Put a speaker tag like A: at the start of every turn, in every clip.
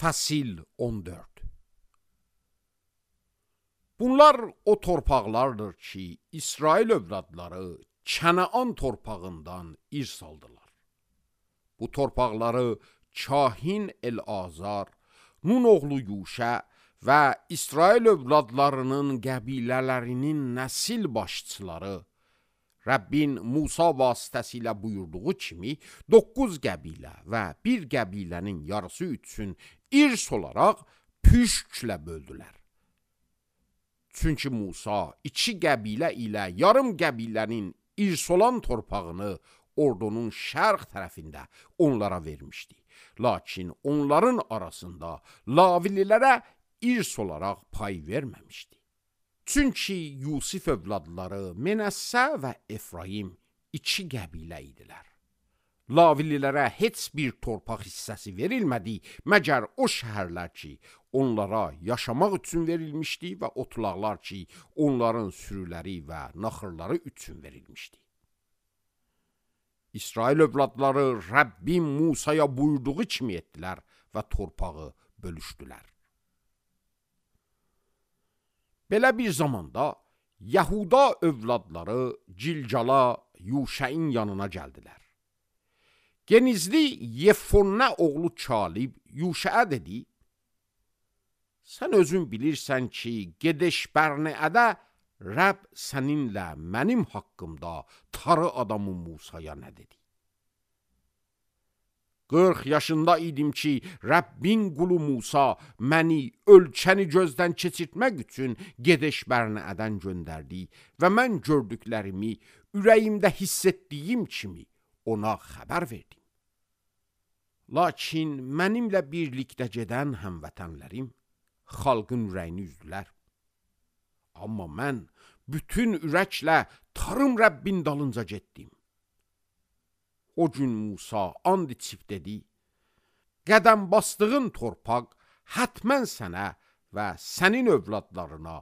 A: Fəsil 14. Bunlar o torpaqlardır ki, İsrail övladları Kənaan torpağından irs aldılar. Bu torpaqları kahin El-Azar, Nun oğlu Yuşa və İsrail övladlarının qəbilələrinin nəsil başçıları Rəbbin Musa vasitəsilə buyurduğu kimi 9 qəbilə və bir qəbilənin yarısı üçün irs olaraq püşklə böldülər. Çünki Musa 2 qəbilə ilə yarım qəbilənin irs olan torpağını ordunun şərq tərəfində onlara vermişdi. Lakin onların arasında Lavililərə irs olaraq pay verməmişdi. Çünki Yusif övladları Menəssə və Efraim 2 qəbilə idilər. Lavililərə heç bir torpaq hissəsi verilmədi, məgər o şəhərlər ki, onlara yaşamaq üçün verilmişdi və otlaqlar ki, onların sürüləri və naxırları üçün verilmişdi. İsrail övladları Rəbbin Musaya buyurduğu kimi etdilər və torpağı bölüşdülər. Belə bir zamanda Yahuda övladları Cilcala Yuşəin yanına gəldilər. Genizli Yefonnə oğlu Kalib Yuşəə dedi, sən özün bilirsən ki, Gedeş Bərneədə Rəbb səninlə mənim haqqımda tarı adamı Musaya nə dedi? 40 yaşında idim ki, Rəbbin qulu Musa məni ölkəni gözdən keçirtmək üçün Gedeş Bərneədən göndərdi və mən gördüklərimi ürəyimdə hiss etdiyim kimi ona xəbər verdim. Lakin mənimlə birlikdə gedən həmvətənlərim xalqın ürəyini üzdülər. Amma mən bütün ürəklə tarım Rəbbin dalınca getdim. O gün Musa and içib dedi, qədəm bastığın torpaq hətmən sənə və sənin övladlarına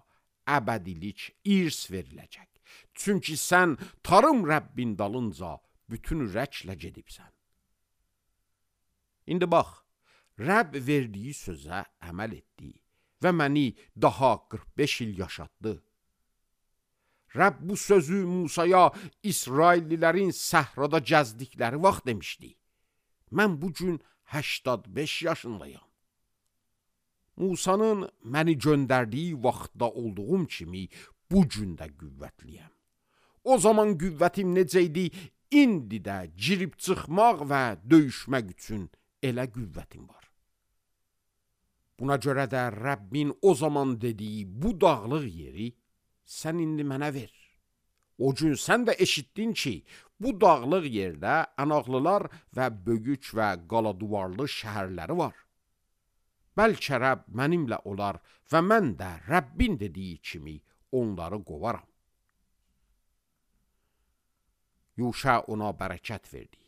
A: əbədilik irs veriləcək. Çünki sən tarım Rəbbin dalınca bütün ürəklə gedibsən. İndi bax, Rəbb verdiyi sözə əməl etdi və məni daha 45 il yaşatdı. Rəbb bu sözü Musaya İsraillilərin səhrada gəzdikləri vaxt demişdi. Mən bugün 85 yaşındayım. Musanın məni göndərdiyi vaxtda olduğum kimi bugün də qüvvətliyəm. O zaman qüvvətim necə idi, indi də girib çıxmaq və döyüşmək üçün elə qüvvətim var. Buna görə də Rəbbin o zaman dediyi bu dağlıq yeri sən indi mənə ver. O gün sən də eşitdin ki, bu dağlıq yerdə ənaqlılar və böyük və qaladuvarlı şəhərləri var. Bəlkə Rəbb mənimlə olar və mən də Rəbbin dediyi kimi onları qovaram. Yuşa ona bərəkət verdi.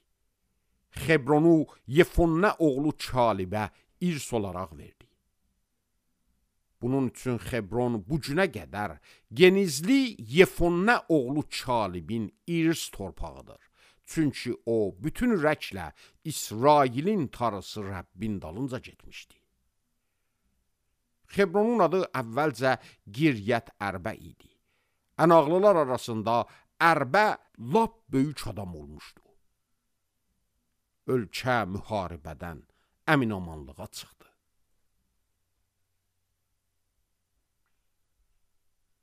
A: Xebronu Yefonnə oğlu Kalibə irs olaraq verdi. Bunun üçün Xebron bu günə qədər Genizli Yefonnə oğlu Kalibin irs torpağıdır. Çünki o bütün ürəklə İsrailin tarısı Rəbbin dalınca getmişdi. Xebronun adı əvvəlcə Giryət Ərbə idi. Ənaqlılar arasında Ərbə lap böyük adam olmuşdu. Ölkə müharibədən əmin-amanlığa çıxdı.